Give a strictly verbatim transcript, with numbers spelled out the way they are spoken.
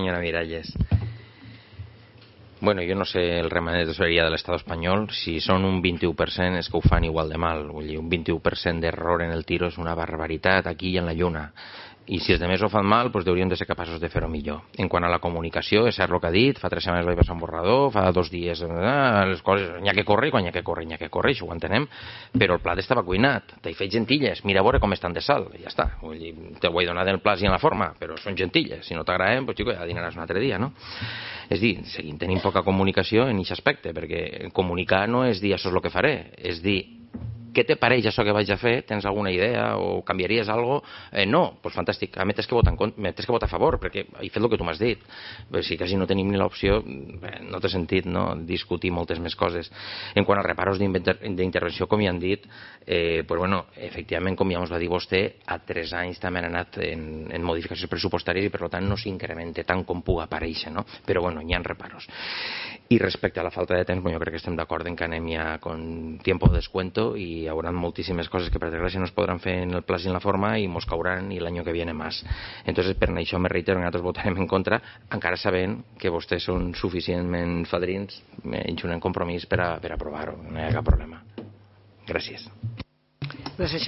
Senyora Miralles. Bueno, jo no sé el remedio de tesoreria de l'Estat espanyol, si són un vint-i-u per cent és que ho fan igual de mal, vull dir, un vint-i-u per cent d'error en el tiro és una barbaritat aquí i en la lluna, i si els altres ho fan mal, doncs hauríem de ser capaços de fer-ho millor. En quant a la comunicació, és cert el que ha dit, fa tres setmanes vaig passar un borrador, fa dos dies, eh, les coses, n'hi ha que córrer, quan n'hi ha que córrer, n'hi ha que córrer, això ho entenem, però el plat estava cuinat, t'he fet gentilles, mira a veure com estan de sal, i ja està, vull dir, te ho he donat en el plat i en la forma, però són gentilles, si no t'agraden, doncs xico, ja dinaràs un altre dia, no? És dir, seguim tenint poca comunicació en aquest aspecte, perquè comunicar no és dir això és el que faré, és dir, què te pareix això que vaig a fer? Tens alguna idea o canviaries alguna cosa? Eh, no, doncs pues fantàstic, a mi tens que votar en contra, tens que votar a favor, perquè he fet el que tu m'has dit. Però si quasi no tenim ni l'opció, bé, no té sentit, no?, discutir moltes més coses. En quant a reparos d'intervenció, com ja han dit, eh, pues bueno, efectivament, com ja ens va dir vostè, a tres anys també han anat en, en modificacions pressupostàries i per tant no s'incrementa tant com pugui aparèixer, no? Però bueno, hi ha reparos. I respecte a la falta de temps, bueno, jo crec que estem d'acord en que anem ja con tiempo de descuento i hi haurà moltíssimes coses que per desgràcia no es podran fer en el plaç i en la forma i mos cauran i l'any que viene más. Entonces, per això me reitero que nosaltres votarem en contra, encara sabent que vostès són suficientment fadrins i un compromís per a, per a aprovar-ho. No hi ha cap problema. Gràcies. Gràcies,